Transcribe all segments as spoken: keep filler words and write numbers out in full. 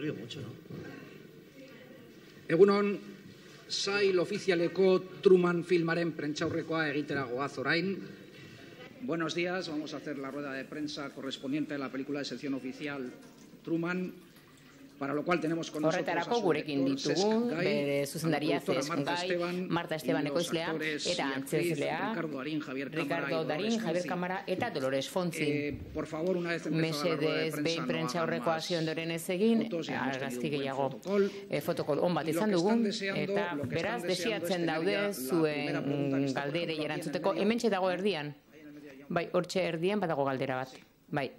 río mucho, ¿no? Egunon, sail ofizialeko Truman filmaren prentsaurrekoa egitera goaz orain. Buenos días, vamos a hacer la rueda de prensa correspondiente a la película de sección oficial Truman, para lo cual tenemos con nosotros horretarako gurekin ditugu, bere zuzendaria Cesc Gai, Marta Esteban ekoizlea, eta antzezlea, Ricardo Darín, Javier Cámara, eta Dolores Fontzi. Mesedez, behin prentsa aurreko hasi ondoren ez egin, argazki gehiago fotokol on bat izan dugu, eta beraz, desiatzen daude zuen galderei erantzuteko, hementxe dago erdian. Bai, hortxe erdian badago galdera bat. Bai.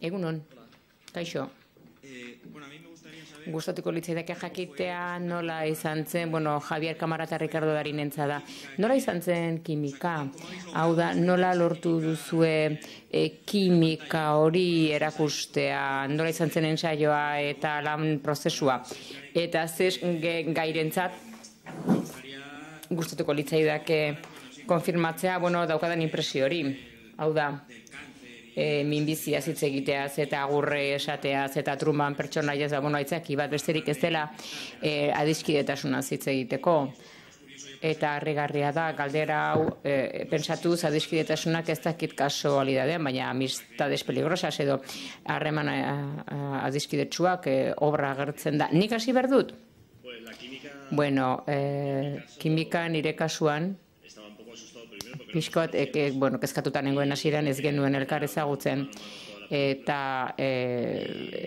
Egunon, kaixo. Gustatuko litzaidake jakitea nola izan zen, bueno, Javier Cámara eta Ricardo Darinentza da. Nola izan zen kimika? Hau da, nola lortu duzue kimika hori erakustea? Nola izan zen ensaioa eta lan prozesua? Eta zez gairentzat gustatuko litzaidake konfirmatzea, bueno, daukadan impresio hori. Hau da, E, minbiziaz hitz egiteaz eta agurre esateaz eta Truman pertsonaiaz da, bueno, aitzaki bat besterik ez dela e, adiskidetasunaz hitz egiteko. Eta harrigarria da, galdera hau e, pentsatuz adiskidetasunak ez dakit kasualidadean, baina amistades peligrosas edo harreman adiskidetsuak e, obra agertzen da. Nik hasi behar dut? Bueno, e, kimika nire kasuan, pixkot, e, bueno, kezkatuta nengoen hasieran ez genuen elkar ezagutzen, eta e,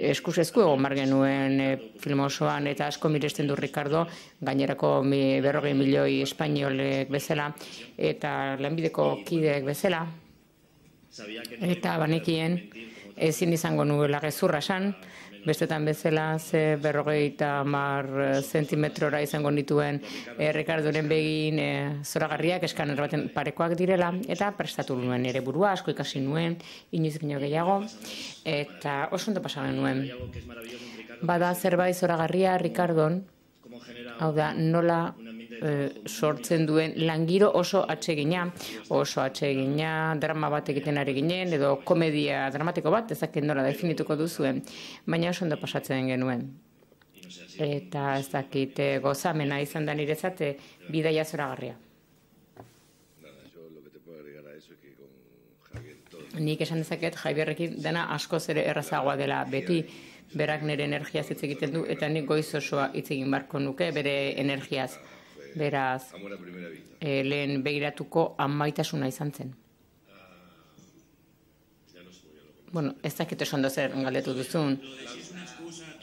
eskuz esku egon bar genuen e, film osoan, eta asko miresten du Ricardo, gainerako mi, berrogei milioi espainolek bezala, eta lanbideko kideek bezala, eta banekien ezin izango nuela gezurra esan, bestetan bezala ze berrogeita hamar zentimetrora izango nituen eh, Ricardoren begin eh, zoragarriak eskaner baten parekoak direla, eta prestatu nuen ere burua, asko ikasi nuen, inoiz baino gehiago, eta oso ondo pasaren nuen. Bada zerbait zoragarria Ricardon, hau da, nola e, sortzen duen langiro oso atsegina, oso atsegina, drama bat egiten ari ginen, edo komedia dramatiko bat, ezakit nola definituko duzuen, baina oso ondo pasatzen genuen. Eta ez dakit gozamena izan da niretzat bidaia zoragarria. Nik esan dezaket Javierrekin dena askoz ere errazagoa dela beti, berak nire energiaz hitz egiten du, eta nik goiz osoa hitz egin barko nuke bere energiaz. Beraz, e, lehen begiratuko amaitasuna izan zen. Bueno, ez dakit esan zer galdetu duzun.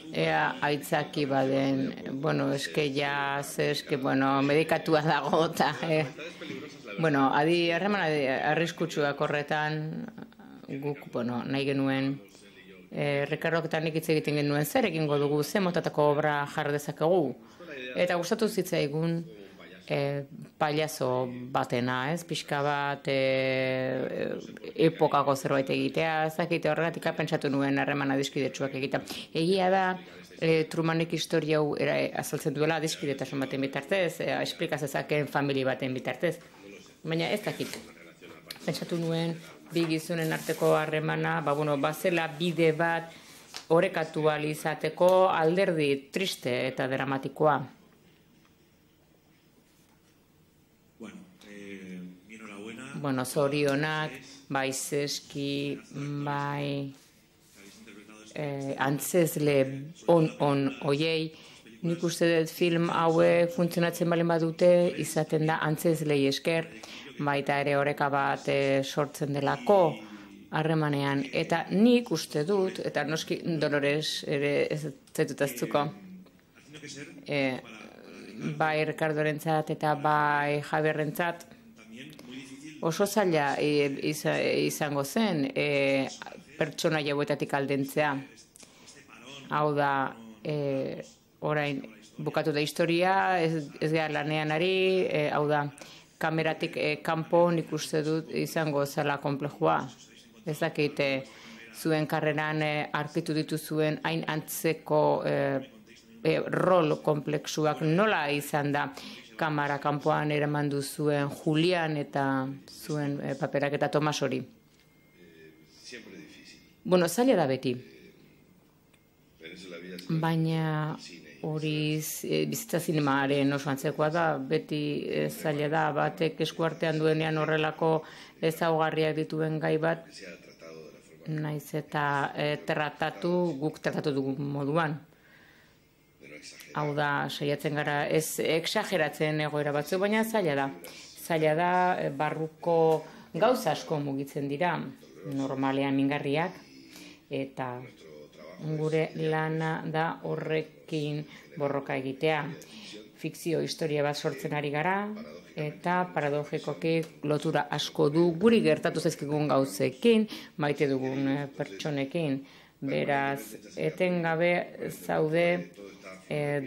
Ea aitzaki baden, bueno, eske jaz, eske, bueno, medikatua dago, eta, eh, bueno, adi, harreman arriskutsuak horretan, guk, bueno, nahi genuen, eh, Ricardoak eta nik hitz egiten genuen zer egingo dugu, ze motatako obra jar dezakegu. Eta gustatu zitzaigun e, pailazo batena, ez? Pixka bat e, epokako zerbait egitea, ezakite horregatik pentsatu nuen harreman adiskidetsuak egitea. Egia da, e, Trumanek historia hau azaltzen duela adiskidetasun baten bitartez, e, esplikaz ezaken famili baten bitartez. Baina ez dakit. Pentsatu nuen, bi gizonen arteko harremana, ba, bueno, bazela bide bat orekatu izateko alderdi triste eta dramatikoa. Bueno, eh, enhorabuena. Bueno, zorionak, bai zeski, bai eh, antzezle on-on oiei, nik uste dut film hauek funtzionatzen balen badute, izaten da antzezlei esker, baita ere oreka bat e, sortzen delako harremanean. Eta nik uste dut, eta noski Dolores ere ez zaitut aztuko, e, bai Ricardorentzat eta bai Javierrentzat oso zaila izango zen e, pertsona jauetatik aldentzea. Hau da, e, orain bukatu da historia, ez, ez gara lanean ari, e, hau da, kameratik e, kanpo nik uste dut izango zela konplejua. Ez dakite zuen karreran e, arpitu dituzuen hain antzeko e, e, rol komplexuak nola izan da kamera kanpoan eraman duzuen Julian eta zuen e, paperak eta Tomas hori. Bueno, zaila da beti. Baina hori bizitza zinemaren oso antzekoa da, beti zaila da, batek eskuartean duenean horrelako ezaugarriak dituen gai bat, naiz eta tratatu, guk tratatu dugun moduan. Hau da, saiatzen gara, ez exageratzen egoera batzu, baina zaila da. Zaila da, barruko gauza asko mugitzen dira, normalean mingarriak, eta gure lana da horrekin borroka egitea. Fikzio historia bat sortzen ari gara, eta paradogikoki lotura asko du guri gertatu zaizkigun gauzekin, maite dugun pertsonekin. Beraz, etengabe zaude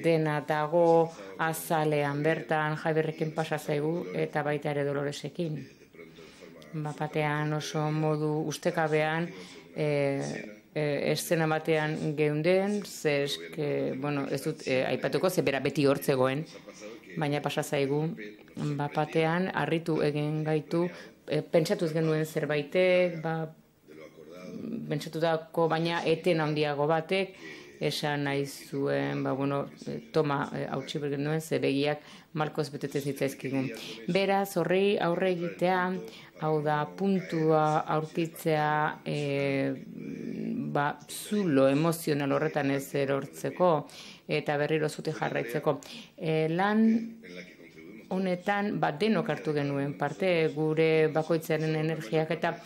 dena dago azalean bertan Jaibirrekin pasa zaigu eta baita ere Doloresekin. Bapatean oso modu ustekabean eszena batean geunden, ze eske, bueno, ez dut aipatuko, ze bera beti hortzegoen, baina pasa zaigu bapatean harritu egin gaitu, pentsatuz genuen zerbaitek, ba, pentsatutako baina eten handiago batek, esan nahi zuen, ba, bueno, toma hautsi bergen duen, ze begiak malkoz betetzen zitzaizkigun. Beraz, horri aurre egitea, hau da, puntua aurkitzea e, ba, zulo emozional horretan ez erortzeko eta berriro zute jarraitzeko. E, lan honetan ba, denok hartu genuen parte gure bakoitzaren energiak eta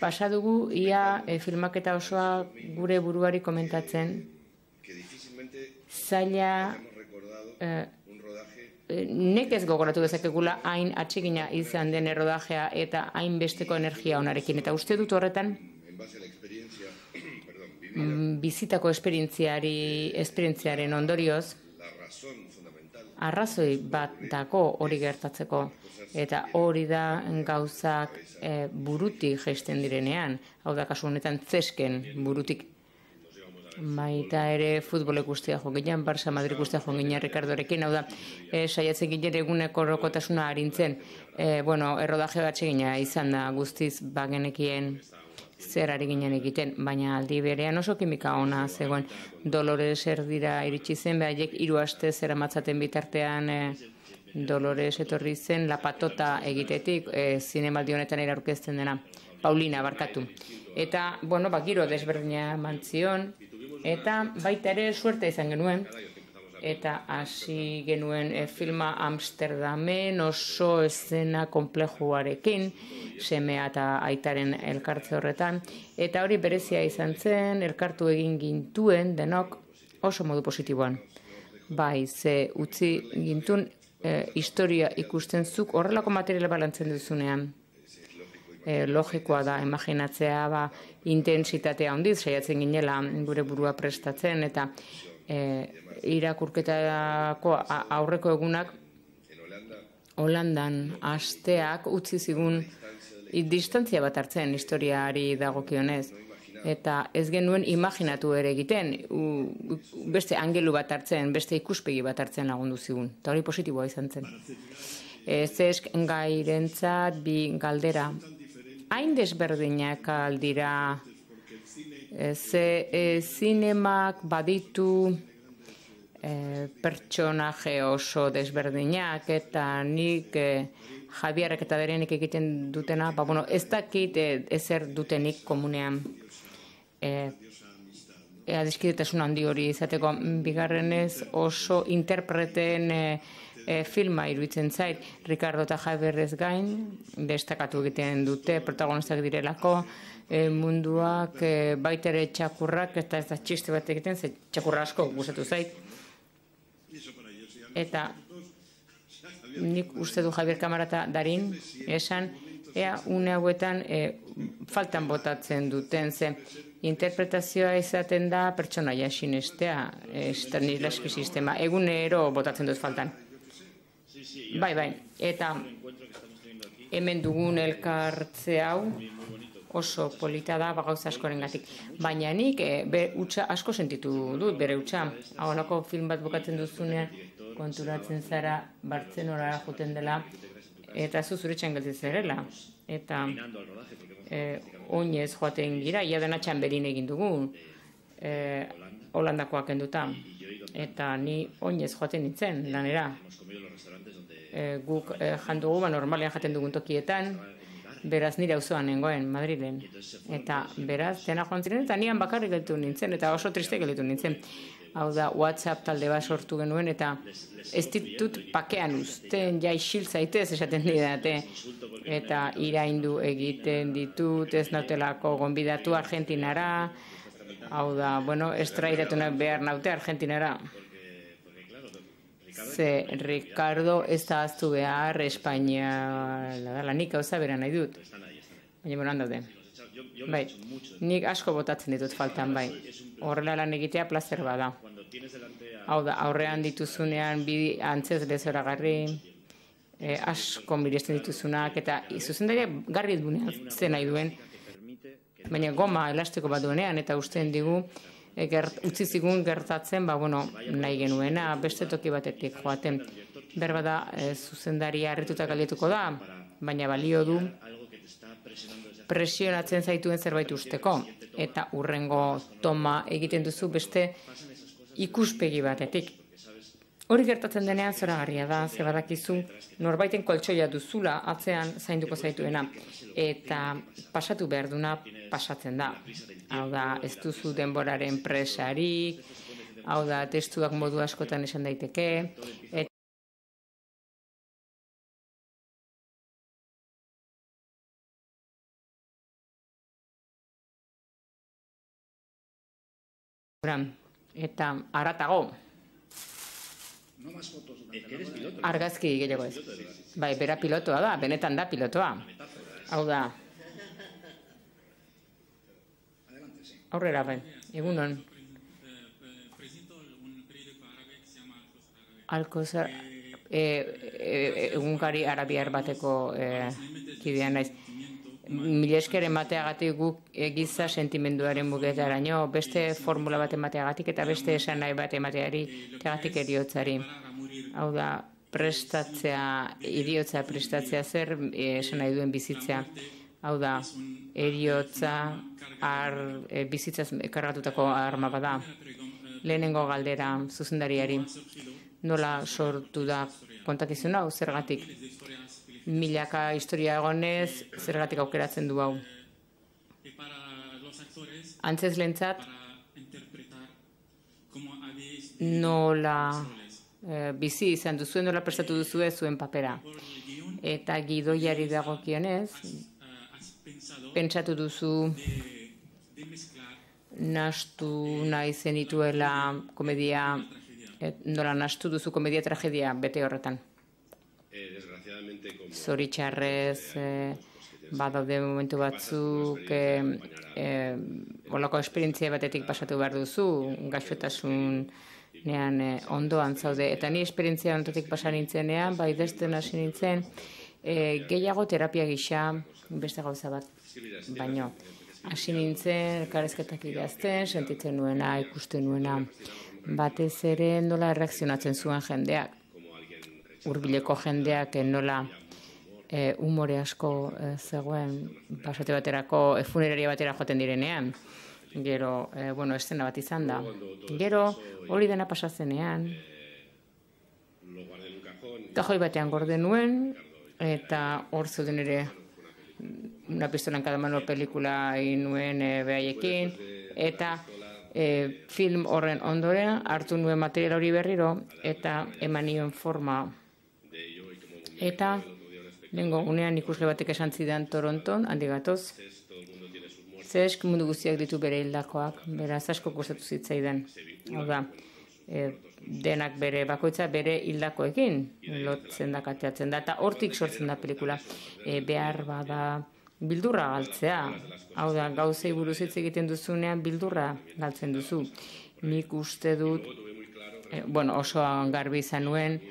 pasadugu ia e, filmaketa osoa gure buruari komentatzen zaila e, nek ez gogoratu dezakegula hain atsegina izan den errodajea eta hain besteko energia onarekin. Eta uste dut horretan bizitako esperientziari, esperientziaren ondorioz arrazoi bat dako hori gertatzeko. Eta hori da gauzak e, burutik jaisten direnean. Hau da kasu honetan zesken burutik. Baita ere futbolek guztia jo ginen, Barça Madrid guztia jo ginen Ricardorekin, hau da, e, saiatzen ginen eguneko rokotasuna arintzen, e, bueno, errodaje bat egina izan da guztiz bagenekien zer ari ginen egiten, baina aldi berean oso kimika ona zegoen. Dolores erdira iritsi zen, behaiek hiru aste zera matzaten bitartean e, Dolores etorri zen La Patota egitetik, e, zinemaldi honetan ere aurkezten dena, Paulina barkatu. Eta, bueno, ba, giro desberdina mantzion, eta baita ere suerte izan genuen, eta hasi genuen e, filma Amsterdamen oso eszena konplejuarekin, semea eta aitaren elkartze horretan, eta hori berezia izan zen, elkartu egin gintuen denok oso modu positiboan. Bai, ze utzi gintun e, historia ikusten zuk horrelako materiala balantzen duzunean. E, logikoa da, imaginatzea ba, intensitatea handiz, saiatzen ginela gure burua prestatzen, eta e, irakurketako aurreko egunak Holandan asteak utzi zigun distantzia bat hartzen historiari dagokionez. Eta ez genuen imaginatu ere egiten, u, beste angelu bat hartzen, beste ikuspegi bat hartzen lagundu zigun. Eta hori positiboa izan zen. E, Zesk gairentzat bi galdera. Hain desberdinak aldira, ze e, zinemak baditu e, pertsonaje oso desberdinak, eta nik e, Javierrek eta Berenik egiten dutena, ba, bueno, ez dakit e, ezer dutenik komunean. E, e, adiskidetasun handi hori izateko, bigarrenez oso interpreten e, E, filma iruditzen zait, Ricardo eta Javierrez gain, destakatu egiten dute, protagonistak direlako, e, munduak e, baitere txakurrak, eta ez da txiste bat egiten, ze txakurra asko gustatu zait. Eta nik uste du Javier Kamarata Darin, esan, ea une hauetan e, faltan botatzen duten, ze interpretazioa izaten da pertsonaia sinestea, Stanislavski sistema, egunero botatzen dut faltan. Bai, bai, eta hemen dugun elkartze hau oso polita da gauza askorengatik. Baina nik e, be, utxa asko sentitu dut, bere utxa. Haolako film bat bukatzen duzunean konturatzen zara Bartzenora joten dela eta zu zuretxean gelditzen zerela. Eta e, oinez joaten gira, ia dena txanberin egin dugu, e, Holandakoak kenduta, eta ni oinez joaten nintzen, lanera. E, guk e, jandugu, ba, normalean jaten dugun tokietan, beraz nire auzoan nengoen, Madrilen. Eta beraz, dena joan ziren, eta nian bakarrik gelditu nintzen, eta oso triste gelditu nintzen. Hau da, WhatsApp talde bat sortu genuen, eta ez ditut pakean uzten, ja isil zaitez esaten didate. Eta iraindu egiten ditut, ez nautelako gonbidatu Argentinara, hau da, bueno, estrairatu behar naute Argentinara. Ze, Ricardo, ez da aztu behar, Espainia, la nik gauza bera nahi dut. Baina, bueno, handaude. Bai, nik asko botatzen ditut faltan, bai. Horrela lan egitea plazer bada. Hau da, aurrean dituzunean bi antzez lezoragarri, eh, asko miresten dituzunak, eta zuzendaria garri dunean zen nahi duen, baina goma elastiko bat duenean, eta usten digu, e, gert, utzi zigun gertatzen, ba, bueno, nahi genuena, beste toki batetik joaten. Berbada, e, zuzendaria harrituta galdetuko da, baina balio du, presionatzen zaituen zerbait usteko, eta urrengo toma egiten duzu beste ikuspegi batetik. Hori gertatzen denean zoragarria da, ze badakizu norbaiten koltsoia duzula atzean zainduko zaituena, eta pasatu behar duna pasatzen da. Hau da, ez duzu denboraren presarik, hau da, testuak modu askotan esan daiteke, eta eta haratago. Argazki gehiago ez. Bai, bera pilotoa da, benetan da pilotoa. Hau da. Aurrera, bai, egunon. Alkozar, egunkari arabiar bateko kidea naiz. Mila esker emateagatik guk giza sentimenduaren mugetaraino, beste formula bat emateagatik eta beste esan nahi bat emateari teagatik eriotzari. Hau da, prestatzea, eriotza prestatzea zer esan nahi duen bizitzea. Hau da, eriotza ar, e, bizitzaz kargatutako arma bada. Lehenengo galdera zuzendariari. Nola sortu da kontakizun hau, zergatik? Milaka historia egonez, zergatik aukeratzen du hau. Antzez lehentzat, nola e, bizi izan duzuen, nola prestatu duzue zuen papera. Eta gidoiari dagokionez, pentsatu duzu nahastu nahi zenituela komedia, et, nola nahastu duzu komedia tragedia bete horretan. Zoritxarrez, eh, badaude momentu batzuk, eh, eh, olako esperientzia batetik pasatu behar duzu, gaixotasunean eh, ondoan zaude. Eta ni esperientzia ondotik pasa nintzenean, bai desten hasi nintzen, eh, gehiago terapia gisa, beste gauza bat, baino. Hasi nintzen, elkarrezketak idazten, sentitzen nuena, ikusten nuena, batez ere nola erreakzionatzen zuen jendeak. Hurbileko jendeak nola e, umore asko e, zegoen pasate baterako, e, funeraria batera joaten direnean. Gero, e, bueno, estena bat izan da. Gero, hori dena pasazenean, kajoi batean gorde nuen, eta hor zeuden ere una pistola en cada mano pelikula egin nuen e, behaiekin, eta e, film horren ondoren hartu nuen material hori berriro, eta eman nion forma. Eta lehengo gunean ikusle batek esan zidan Toronton, handi gatoz. Zesk mundu guztiak ditu bere hildakoak, beraz asko gustatu zitzaidan. Hau da, e, denak bere bakoitza bere hildakoekin lotzen da, kateatzen da, eta hortik sortzen da pelikula. E, behar bada bildurra galtzea. Hau da, gauzei buruz hitz egiten duzunean bildurra galtzen duzu. Nik uste dut, e, bueno, oso garbi izan nuen,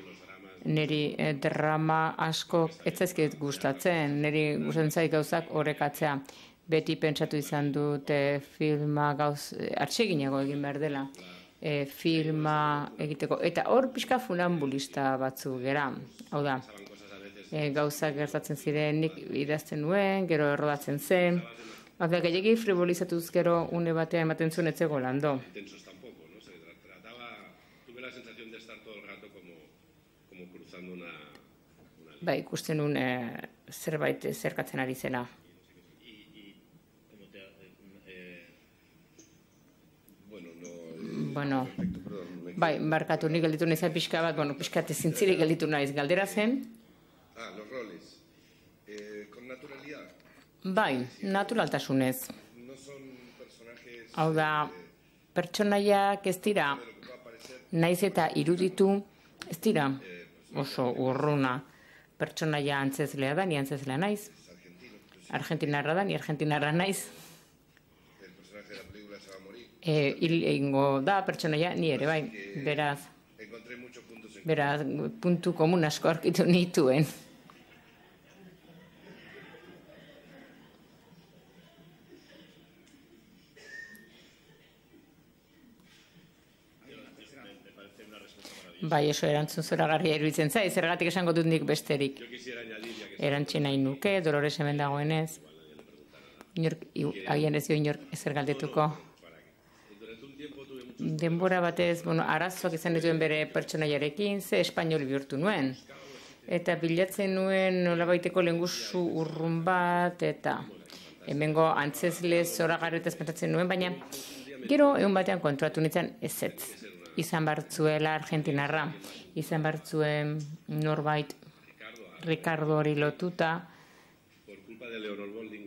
niri eh, drama asko ez zaizkit gustatzen, niri gustatzen zait gauzak orekatzea. Beti pentsatu izan dut eh, filma gauz, eh, atseginago egin behar dela, eh, filma egiteko. Eta hor pixka funambulista batzu gera. Hau da, e, gauzak gertatzen ziren, nik idazten nuen, gero errodatzen zen. Hau da, gehiagi frivolizatuz gero une batean ematen zuen etzego lando. Ba, ikusten nuen e, zerbait zerkatzen ari zena. Bueno, bai, barkatu nik gelditu nahi pixka bat, bueno, pixka zintzirik gelditu naiz, galdera zen. Ah, los roles. Eh, con naturalidad. Bai, naturaltasunez. No son personajes... Hau da, pertsonaiak ez dira, naiz eta iruditu, ez dira oso urruna. Pertsonaia antzeslea da, ni antzeslea naiz. Argentinarra da, ni argentinarra naiz. E, hil egingo da pertsonaia, ni ere bai, beraz, beraz, puntu komun asko aurkitu nituen. Bai, oso erantzun zoragarria iruditzen zaiz, zergatik esango dut nik besterik. Erantzien nahi nuke, Dolores hemen dagoenez. Inork, agian ez dio inork ezer galdetuko. Denbora batez, bueno, arazoak izan dituen bere pertsonaiarekin, ze espainol bihurtu nuen. Eta bilatzen nuen nolabaiteko lengusu urrun bat, eta hemengo antzezle zoragarretaz pentsatzen nuen, baina gero egun batean kontratu nintzen ezetz. Izan bartzuela argentinarra, izan bartzuen norbait Ricardo hori lotuta,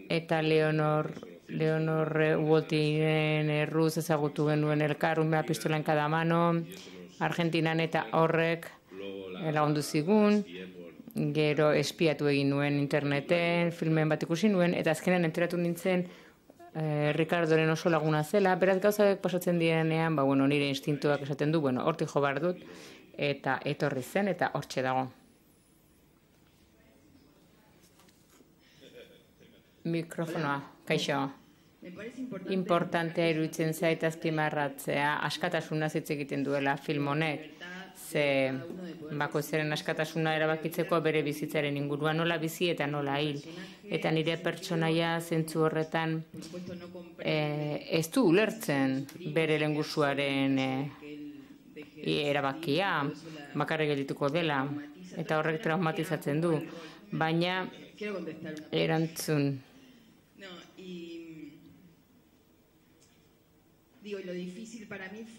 eta Leonor, Leonor Woldingen erruz ezagutu genuen elkar, umea pistola en cada mano, Argentinan eta horrek lagundu zigun, gero espiatu egin nuen interneten, filmen bat ikusi nuen, eta azkenean enteratu nintzen Eh, Ricardoren oso laguna zela, beraz gauzak pasatzen direnean, ba, bueno, nire instintuak esaten du, bueno, hortik jo behar dut, eta etorri zen, eta hortxe dago. Mikrofonoa, kaixo. Importantea iruditzen zait azpimarratzea, askatasuna hitz egiten duela film honek, ze bakoitzaren askatasuna erabakitzeko bere bizitzaren inguruan nola bizi eta nola hil. Eta nire pertsonaia zentzu horretan eh, ez du ulertzen bere lengusuaren eh, erabakia, bakarrik geldituko dela, eta horrek traumatizatzen du. Baina erantzun.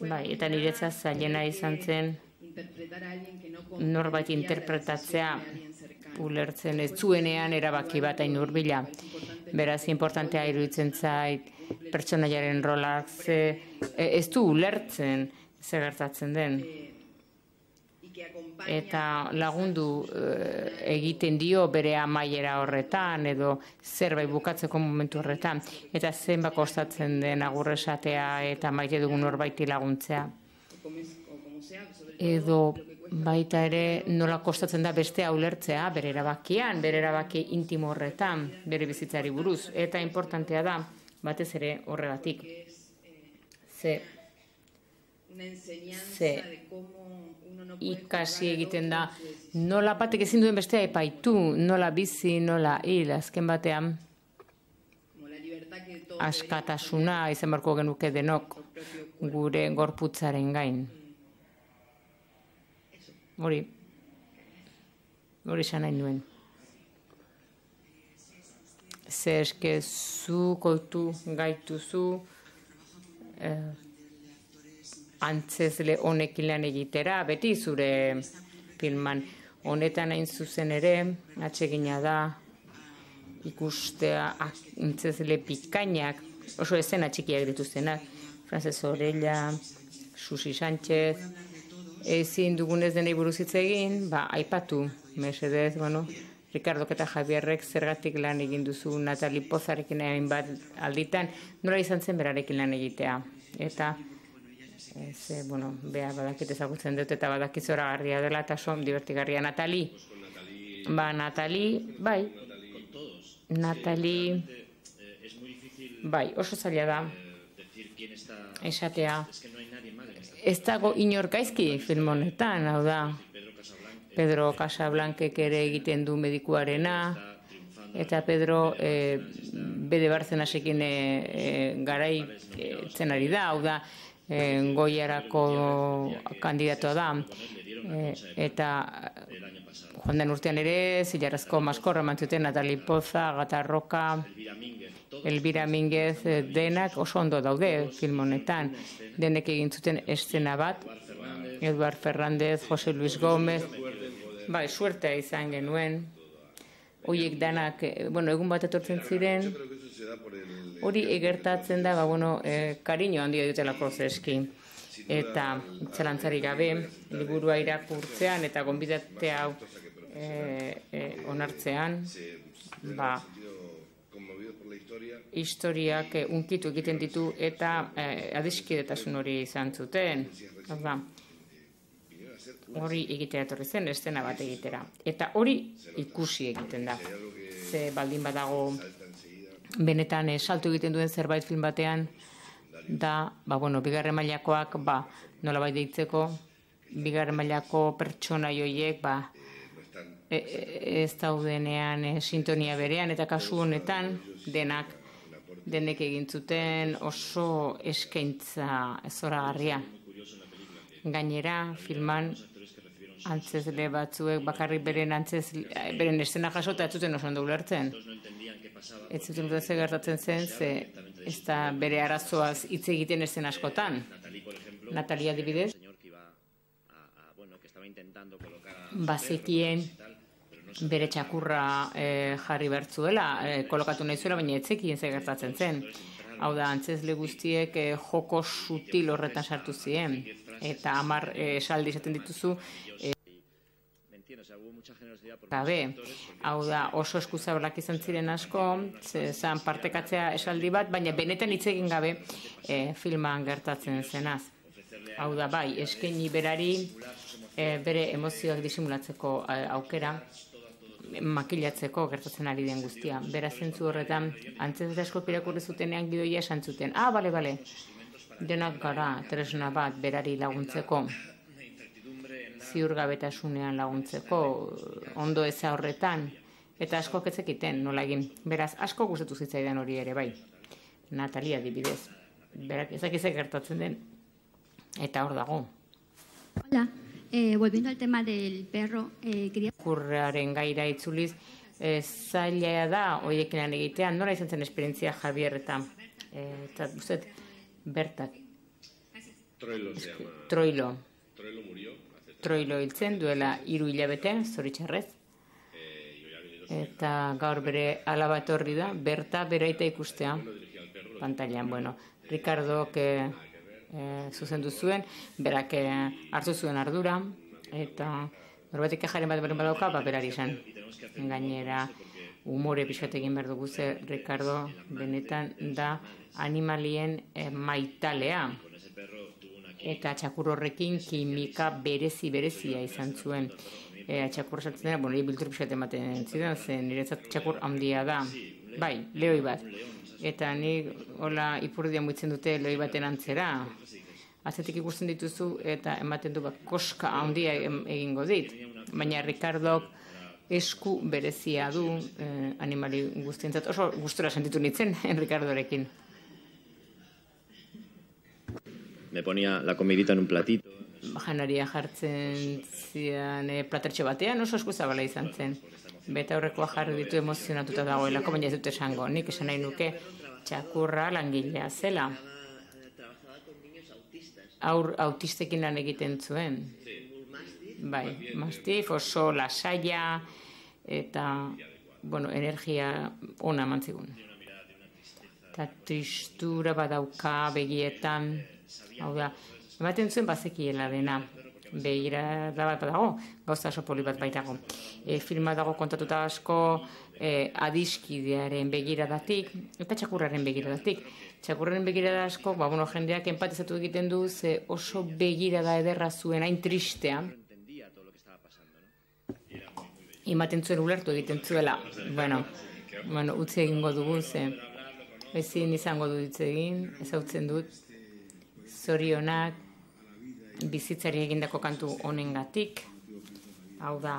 Bai, eta niretzat zailena izan zen norbait interpretatzea ulertzen ez zuenean erabaki bat hain hurbila. Beraz, importantea iruditzen zait pertsonaiaren rolak ze ez du ulertzen zer gertatzen den. Eta lagundu egiten dio bere amaiera horretan edo zerbait bukatzeko momentu horretan. Eta zenbat kostatzen den agur esatea eta maite dugun norbaiti laguntzea. Edo baita ere nola kostatzen da bestea ulertzea bere erabakian, bere erabaki intimo horretan, bere bizitzari buruz. Eta importantea da, batez ere horregatik. Ze, ze ikasi egiten da, nola batek ezin duen bestea epaitu, nola bizi, nola hil, azken batean askatasuna izan beharko genuke denok gure gorputzaren gain. Hori, hori esan nahi nuen. Ze eske zu koitu gaituzu eh, antzezle honekin lan egitera, beti zure filman. Honetan hain zuzen ere, atsegina da, ikustea antzezle pikainak, oso esena txikiak dituztenak. Frances Orella, Susi Sánchez, ezin dugunez denei buruz hitz egin, ba, aipatu, mesedez, bueno, Ricardo eta Javierrek zergatik lan egin duzu Natali Pozarekin hainbat alditan, nola izan zen berarekin lan egitea. Eta, ez, bueno, beha badakit ezagutzen dut eta badakit zoragarria dela eta som divertigarria. Natali, ba, Natali, bai, Natali, bai, oso zaila da, esatea. Ez dago inor gaizki film honetan, hau da. Pedro Casablankek ere egiten du medikuarena, eta Pedro e, bede Barzenasekin e, e, garai e, zenari da, hau da, e, Goiarako kandidatoa da, e, eta joan den urtean ere, zilarrazko maskorra mantzuten Natali Poza, Agata Roca, Elvira Minguez, denak oso ondo daude film honetan. Denek egin zuten eszena bat, Eduard Fernández, Jose Luis Gómez, bai, suertea izan genuen. Horiek danak, bueno, egun bat etortzen ziren, hori egertatzen da, ba, bueno, eh, kariño handia dutelako zeski. Eta txalantzari gabe, liburua irakurtzean eta gonbidate hau eh, eh, onartzean, ba, historiak eh, unkitu egiten ditu eta eh, adiskidetasun hori izan zuten. Ba, hori egitea etorri zen, eszena bat egitera. Eta hori ikusi egiten da. Ze baldin badago benetan eh, salto egiten duen zerbait film batean, da, ba, bueno, bigarren mailakoak, ba, nolabait deitzeko, bigarren mailako pertsona joiek, ba, e, e, ez daudenean e, sintonia berean, eta kasu honetan, denak, denek egin zuten oso eskaintza zoragarria. Gainera, filman, antzezle batzuek bakarrik beren antzez, beren eszena jasota ez zuten oso ondo ulertzen. Ez zuten dut ze gertatzen zen, ze ez da bere arazoaz hitz egiten ezen askotan. Natalia adibidez, bazekien bere txakurra eh, jarri bertzuela, eh, kolokatu nahi zuela, baina etzekien ze gertatzen zen. Hau da, antzezle guztiek eh, joko sutil horretan sartu ziren. Eta hamar eh, esaldi esaten dituzu, eh, gabe, hau da, oso eskuzabalak izan ziren asko, zan partekatzea esaldi bat, baina benetan hitz egin gabe eh, filman gertatzen zenaz. Hau da, bai, eskaini berari eh, bere emozioak disimulatzeko eh, aukera, makilatzeko gertatzen ari den guztia. Beraz zentzu horretan, antzez asko irakurri zutenean gidoia esan zuten. Ah, bale, bale, denak gara tresna bat berari laguntzeko, ziurgabetasunean laguntzeko, ondo eza horretan, eta asko ketzekiten nola egin. Beraz, asko gustatu zitzaidan hori ere, bai. Natalia adibidez. Berak ezakizek gertatzen den, eta hor dago. Hola. Eh, volviendo al tema del perro, eh, quería... Kurraren gaira itzuliz, eh, zaila da, horiek lan egitean, nola izan zen esperientzia Javier eta, eh, eta usted, Bertak. Troilo se llama. Troilo. Troilo murió. Troilo hiltzen duela hiru hilabete, zoritxarrez. Eta gaur bere alaba etorri da, Berta bere aita ikustea, pantailan, bueno, Ricardok eh, eh, zuzendu zuen, berak eh, hartu zuen ardura, eta norbatik kejaren bat beren badauka, ba, berari zen. Gainera, umore pixkat egin behar dugu ze, Ricardo benetan da animalien eh, maitalea. Eta txakur horrekin kimika berezi berezia izan zuen. E, txakur sartzen dena, bueno, biltur pixkat ematen zidan, zen niretzat txakur handia da. Bai, lehoi bat. Eta nik, hola, ipurdian muitzen dute lehoi baten antzera. Azetik ikusten dituzu eta ematen du bat koska handia egingo dit. Baina Ricardok esku berezia du eh, animali guztientzat. Oso gustora sentitu nintzen Ricardorekin. Me ponía la comidita en un platito. Janaria jartzen zian e, platertxo batean, oso eskuzabala izan zen. Beta horrekoa jarri ditu emozionatuta dagoelako, baina ez dut esango. Nik esan nahi nuke txakurra langilea zela. Aur autistekin lan egiten zuen. Bai, mastif oso lasaia eta, bueno, energia ona mantzigun. Eta tristura badauka begietan. Hau da, ematen zuen bazekiela dena, begira da bat dago, gauza oso poli bat baitago. E, filma dago kontatuta asko e, adiskidearen begiradatik, eta txakurraren begiradatik. Txakurraren begirada asko, ba, bueno, jendeak empatizatu egiten du, ze oso begirada ederra zuen, hain tristea. Ematen zuen ulertu egiten zuela, bueno, bueno, utzi egingo dugu, ze ezin izango du hitz egin, ezautzen dut, zorionak bizitzari egindako kantu honengatik, hau da,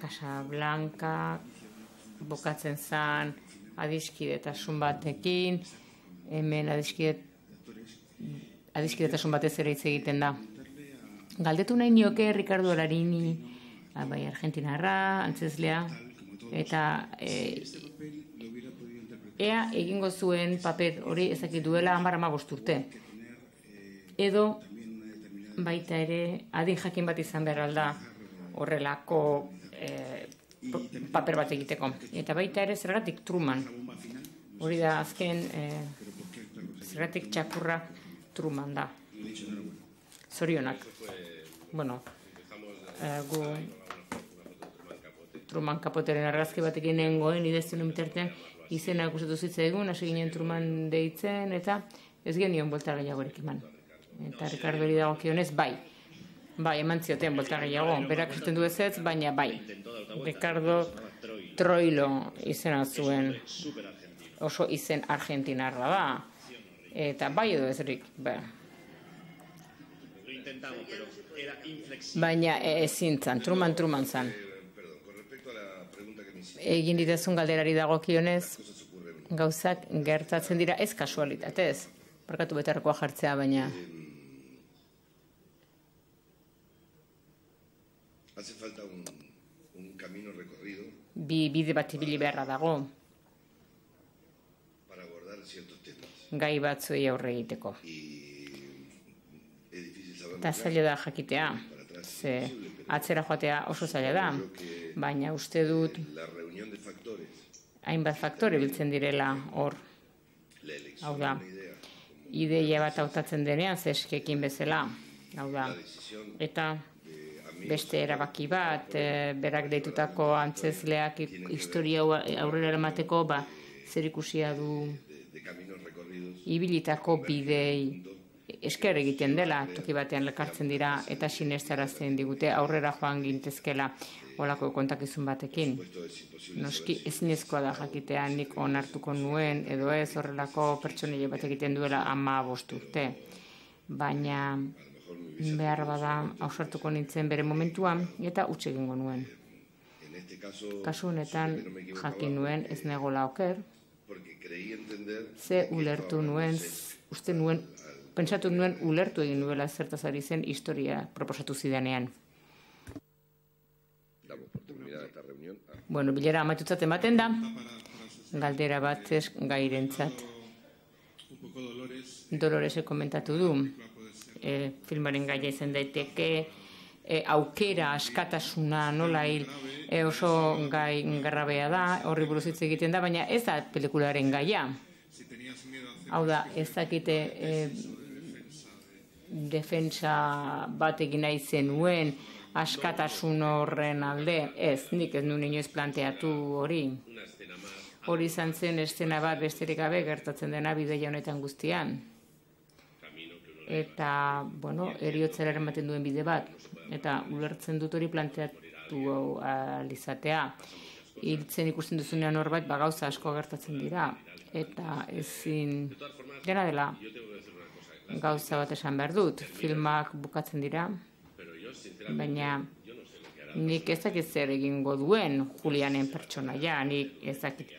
Casablanca, bukatzen zan, adiskidetasun batekin, hemen adiskidet, adiskidetasun batez ere hitz egiten da. Galdetu nahi nioke Ricardo Larini, bai argentinarra, antzezlea, eta e, ea egingo zuen paper hori ezakit duela hamar hamabost urte. Edo baita ere adin jakin bat izan behar alda horrelako e, paper bat egiteko. Eta baita ere zergatik Truman. Hori da azken e, zergatik txakurra Truman da. Zorionak. Bueno, e, gu Truman Capoteren argazki batekin nengoen idazten mitartean izena gustatu zitzaigun, hasi ginen Truman deitzen eta ez genion bolta gehiagorik eman. Eta Ricardo hori dagokionez, bai. Bai, eman zioten bolta gehiago. Berak esaten du ezetz, baina bai. Ricardo Troilo izena zuen, oso izen argentinarra da. Eta bai edo ezrik, bai. Baina ezin zan, Truman Truman zan. Egin ditazun galderari dagokionez, gauzak gertatzen dira ez kasualitatez. Barkatu betarrekoa jartzea, baina... Hace falta un, un camino recorrido Bi bide bat ibili beharra dago para abordar ciertos temas. Gai batzuei aurre egiteko. Es difícil saber. Eta zaila da jakitea, ze atzera joatea oso zaila da, baina uste dut La reunión de factores, hainbat faktore biltzen direla hor. la elección Hau de da, una idea, ideia bat hautatzen denean zeskekin bezala. Hau da, la decisión eta de amigos, beste erabaki bat, e, berak deitutako antzezleak i- historia hau aurrera eramateko, ba, zer ikusia du de, de caminos recorridos, ibilitako bidei esker egiten dela, toki batean elkartzen dira eta sinestarazten digute aurrera joan gintezkela olako kontakizun batekin. esto es imposible. Noski ezinezkoa da jakitea nik onartuko nuen edo ez horrelako pertsonile bat egiten duela ama bost urte. Baina behar bada ausartuko nintzen bere momentuan eta utz egingo nuen. En este caso, Kasu honetan no me equivocaba, jakin nuen ez negola oker, porque creí entender ze ulertu nuen, uste nuen, pentsatu nuen ulertu egin nuela zertaz ari zen historia proposatu zidanean. damos por terminada esta reunión. Ah, Bueno, bilera amaitutzat ematen da, galdera bat ez gairentzat. Dolores komentatu du, e, filmaren gaia izan daiteke, e, aukera, askatasuna, nola hil, e, oso gai garrabea da, horri buruz hitz egiten da, baina ez da pelikularen gaia. Hau da, ez dakite e, defensa bat egin nahi zenuen, askatasun horren alde, ez, nik ez nuen inoiz planteatu hori. Hori izan zen estena bat besterik gabe gertatzen dena bideia honetan guztian. Eta, bueno, eriotzera eramaten duen bide bat. Eta ulertzen dut hori planteatu ahal izatea. Hiltzen ikusten duzunean horbait, ba gauza asko gertatzen dira. Eta ezin, dena dela, gauza bat esan behar dut. Filmak bukatzen dira, baina nik ez dakit zer egingo duen Julianen pertsonaia, nik ez dakit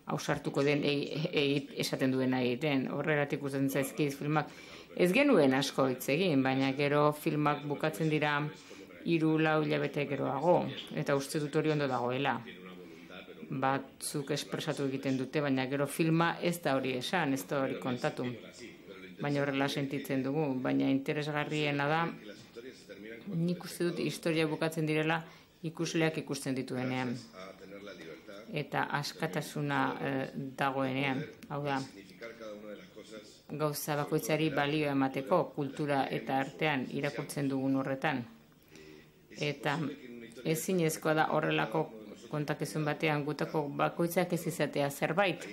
ausartuko den e, e, esaten duena egiten. Horregatik ikusten zaizkiz filmak. Ez genuen asko hitz egin, baina gero filmak bukatzen dira hiru lau hilabete geroago, eta uste dut hori ondo dagoela. Batzuk espresatu egiten dute, baina gero filma ez da hori esan, ez da hori kontatu. Baina horrela sentitzen dugu, baina interesgarriena da, nik uste dut historia bukatzen direla ikusleak ikusten dituenean. Eta askatasuna eh, dagoenean, hau da, gauza bakoitzari balio emateko kultura eta artean irakurtzen dugun horretan. Eta ezinezkoa da horrelako kontakizun batean gutako bakoitzak ez izatea zerbait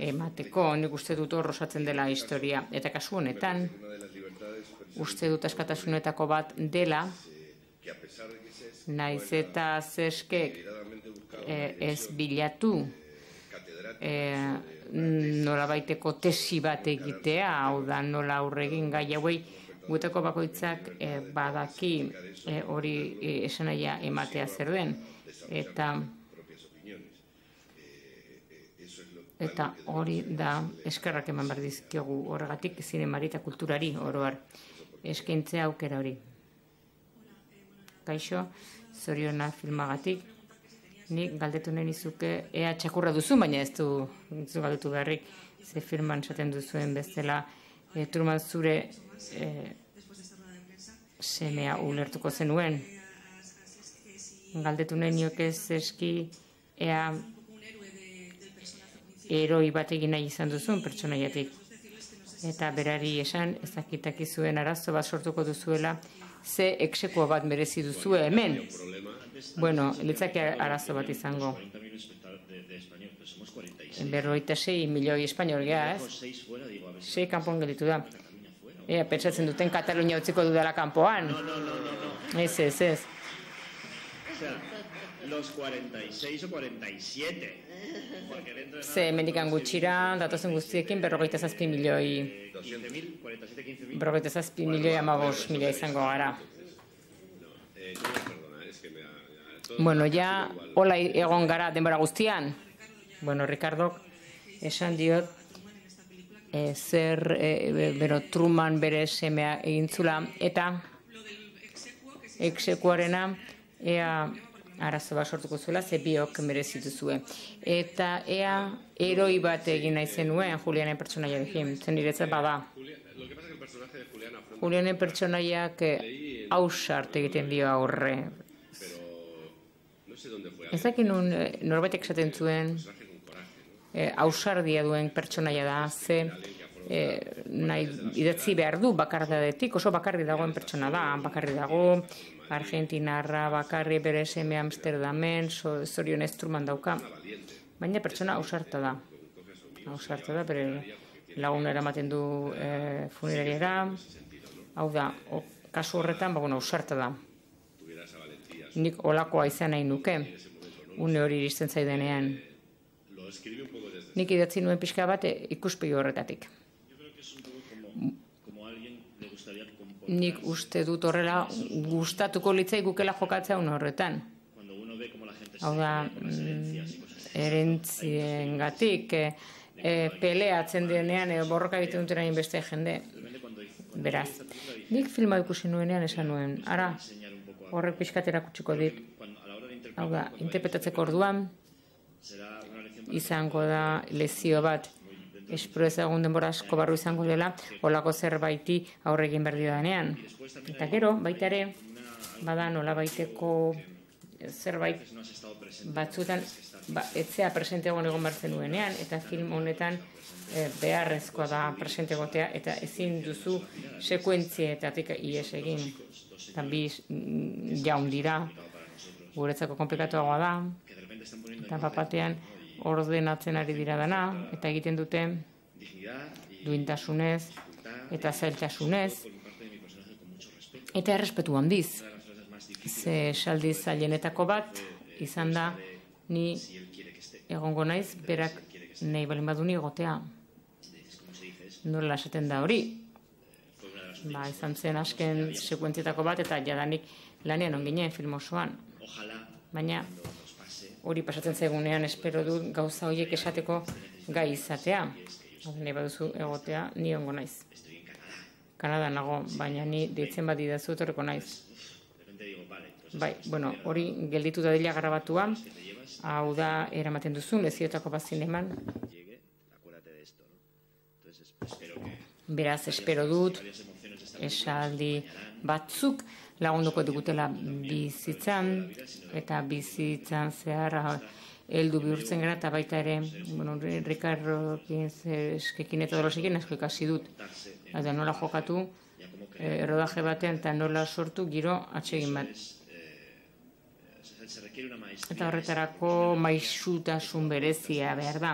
emateko, nik uste dut hor osatzen dela historia. Eta kasu honetan, uste dut askatasunetako bat dela, naiz eta zeskek eh, ez bilatu eh, nola baiteko tesi bat egitea, hau da nola aurregin gai hauei Guetako bakoitzak eh, badaki eh, hori eh, esanahia ematea zer den, eta eta hori da eskerrak eman behar dizkiogu horregatik zinemari eta kulturari oroar eskaintzea aukera hori. Kaixo, zoriona filmagatik, nik galdetu nahi nizuke ea txakurra duzu, baina ez du, ez du galdetu beharrik, ze filman esaten duzuen bezala e, Truman zure e, semea ulertuko zenuen. Galdetu nahi nioke eski ea eroi bat egin nahi izan duzun pertsonaiatik. Eta berari esan ezakitaki zuen arazo bat sortuko duzuela, ze exekua bat merezi duzue hemen. Bueno, litzake arazo bat izango. Berroita sei milioi espainol geha, ez? Sei kanpoan gelditu da. Ea, pentsatzen duten Katalunia utziko dudala kanpoan. No, no, no, no, no. Ez, ez, ez. O sea, los cuarenta y seis o cuarenta y siete. Ze mendikan gutxira, datozen guztiekin, berrogeita zazpi milioi... Berrogeita zazpi milioi amabos milioi izango gara. Bueno, ja, hola egon gara denbora guztian. Bueno, Ricardok, esan diot, e, zer, e, bero, Truman bere semea egintzula, eta exekuarena, ea arazo bat sortuko zuela, ze biok merezitu zuen. Eta ea eroi bat egin nahi zenuen Julianen pertsonaiarekin, zen niretzat bada. Julianen pertsonaiak ausart egiten dio aurre. Ez dakit nun norbaitek esaten zuen ausardia duen pertsonaia da, ze nahi idatzi behar du bakardadetik, oso bakarri dagoen pertsona da, bakarri dago, Argentinarra, bakarri bere seme Amsterdamen, zorionez Truman dauka, baina pertsona ausarta da. Ausarta da, bere laguna eramaten du e, funerariera, hau da, o, kasu horretan, ba, bueno, ausarta da. Nik olakoa izan nahi nuke, une hori iristen zaidenean. Nik idatzi nuen pixka bat ikuspegi horretatik. Nik uste dut horrela gustatuko litzai gukela jokatzea une horretan. Hau da, erentzien gatik, e, peleatzen denean, e, borroka egiten duterain beste jende. Beraz, nik filma ikusi nuenean esan nuen, ara, horrek pixkatera kutsiko dit. Hau da, interpretatzeko orduan, izango da lezio bat, espero ezagun denbora asko barru izango dela, olako zerbaiti aurregin berdi danean. Eta gero, baita ere, bada nola baiteko zerbait batzutan, ba, etzea presente egon egon bartzen nuenean, eta film honetan e, beharrezkoa da presente egotea, eta ezin duzu sekuentzietatik ies egin. Eta bi jaun dira, guretzako komplikatuagoa da, eta bapatean ordenatzen ari dira dana, eta egiten dute duintasunez eta zailtasunez, eta errespetu handiz. Ze saldi zailenetako bat, izan da, ni egongo naiz, berak nahi balin badu ni egotea. Nola esaten da hori? Ba, izan zen asken sekuentzietako bat, eta jadanik lanean onginen film osoan. Baina, hori pasatzen zaigunean espero dut gauza horiek esateko gai izatea. Nahi baduzu egotea, ni ongo naiz. Kanada nago, baina ni deitzen bat didazu etorreko naiz. Bai, bueno, hori gelditu da dela grabatua, hau da eramaten duzun, leziotako bat zineman. Beraz, espero dut, esaldi batzuk, lagunduko digutela bizitzan, eta bizitzan zehar heldu bihurtzen gara, eta baita ere, bueno, Ricardokin eskekin eta dolosikin asko ikasi dut. Eta nola jokatu, errodaje batean, eta nola sortu giro atsegin bat. Eta horretarako maisutasun berezia behar da.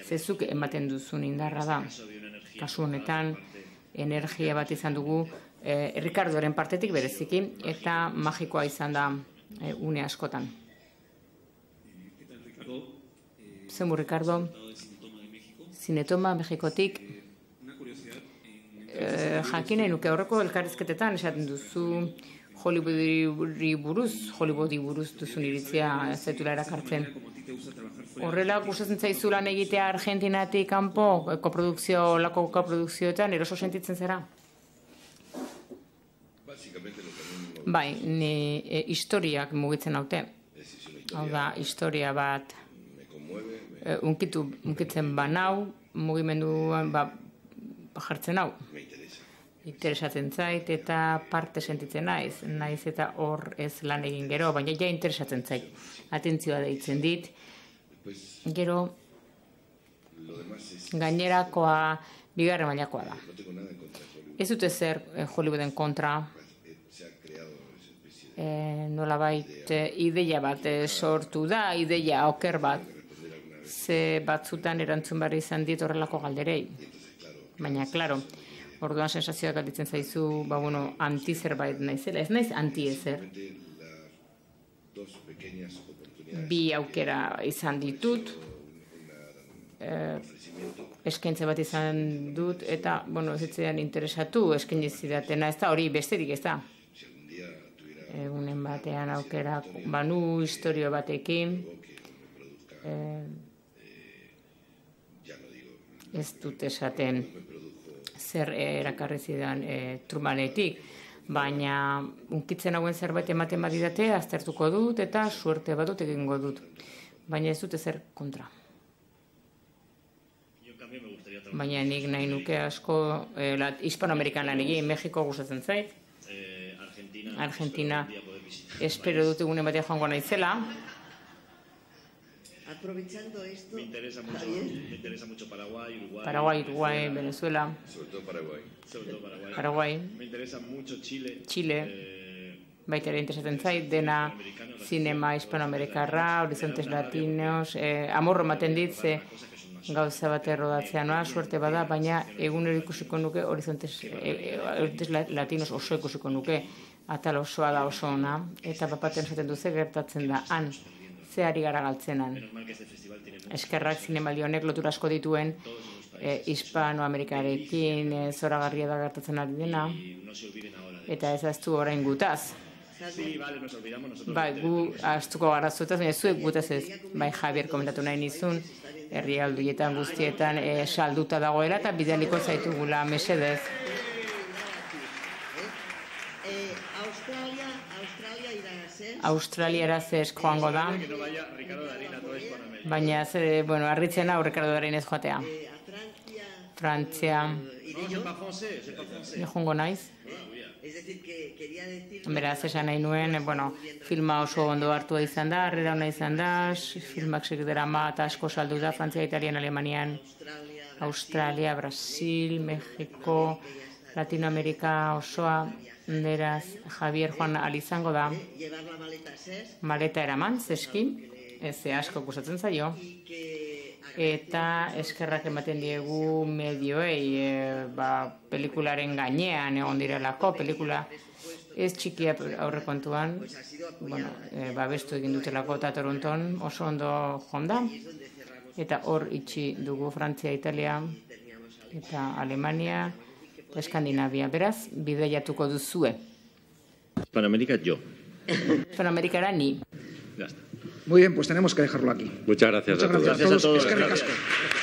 Zezuk ematen duzun indarra da. Kasu honetan, energia bat izan dugu, E, Ricardoren partetik bereziki, eta magikoa izan da e, une askotan. Zemu, Ricardo, Zinetoma, Mexikotik, e, jakin nahi nuke aurreko elkarrizketetan esaten duzu Hollywoodi buruz, Hollywoodi buruz duzun iritzia ez zaitula erakartzen. Horrela gustatzen zaizu lan egitea Argentinatik kanpo, koprodukzio, lako koprodukzioetan, eroso sentitzen zera? Bai, ni e, historiak mugitzen haute. Hau da, historia bat e, unkitu, unkitzen banau, mugimenduan ba, jartzen hau. Interesatzen zait eta parte sentitzen naiz, naiz eta hor ez lan egin gero, baina ja interesatzen zait. Atentzioa deitzen dit. Gero gainerakoa bigarren mailakoa da. Ez dute zer eh, Hollywooden kontra, eh, nolabait eh, ideia bat eh, sortu da, ideia oker bat, ze batzutan erantzun barri izan dit horrelako galderei. Baina, klaro, orduan sensazioak galditzen zaizu, ba, bueno, anti zerbait naizela, ez naiz anti ezer. Bi aukera izan ditut, eh, eskaintze bat izan dut, eta, bueno, ez zitzean interesatu eskaini zidatena, ez da hori besterik, ez da. Egunen batean aukera banu historio batekin, eh, ez dut esaten zer erakarri zidan e, Trumanetik, baina unkitzen hauen zerbait ematen badidate, aztertuko dut eta suerte badut egingo dut. Baina ez dut ezer kontra. Baina nik nahi nuke asko e, Hispanoamerikan lan egin, Mexiko gustatzen zait. Argentina, espero dut egunen batean joango naizela. Aprovechando esto, me interesa mucho, me interesa mucho Paraguay, Uruguay, Paraguay, Uruguay, Venezuela. Sobre todo Paraguay. Sobre todo Paraguay. Paraguay. Me interesa mucho Chile. Chile. Eh, Baita ere interesatzen zait, dena zinema hispanoamerikarra, horizontes latinos, eh, amorro ematen dit, ze gauza bat errodatzea noa, suerte bada, baina egunero ikusiko nuke horizontes, eh, horizontes latinos oso ikusiko nuke, atal osoa da oso ona, eta papaten esaten duze gertatzen da, han, ze ari gara galtzenan. Eskerrak zinemaldi honek lotura asko dituen eh, hispanoamerikarekin eh, zoragarria da gertatzen ari dena, eta ez aztu orain gutaz. Bai, gu astuko gara zuetaz, baina zuek gutaz ez. Bai, Javier komentatu nahi nizun, herrialdietan guztietan eh, salduta dagoela eta bidaliko zaitugula mesedez. Australiara zez joango da, baina ze, bueno, arritzen hau Ricardo Darin ez joatea. Frantzia, joango naiz. Beraz, esan nahi nuen, bueno, filma oso ondo hartua izan da, harrera ona izan da, filmak sekderama eta asko saldu da, Frantzia, Italian, Alemanian, Australia, Brasil, Mexiko, Latinoamerika osoa. Beraz, Javier Juan alizango da, maleta eraman, zeski, ez asko gustatzen zaio, eta eskerrak ematen diegu medioei, e, ba, pelikularen gainean egon direlako, pelikula ez txikia aurrekontuan, bueno, e, babestu egin dutelako eta Toronton oso ondo jonda, eta hor itxi dugu Frantzia, Italia, eta Alemania, Escandinavia, beraz, bideiatuko duzue. Hispanoamérica yo. Hispanoamérica ni. Ya está. Muy bien, pues tenemos que dejarlo aquí. Muchas gracias Muchas a todos. gracias a todos. Gracias a todos. Eskerrik Gracias. asko.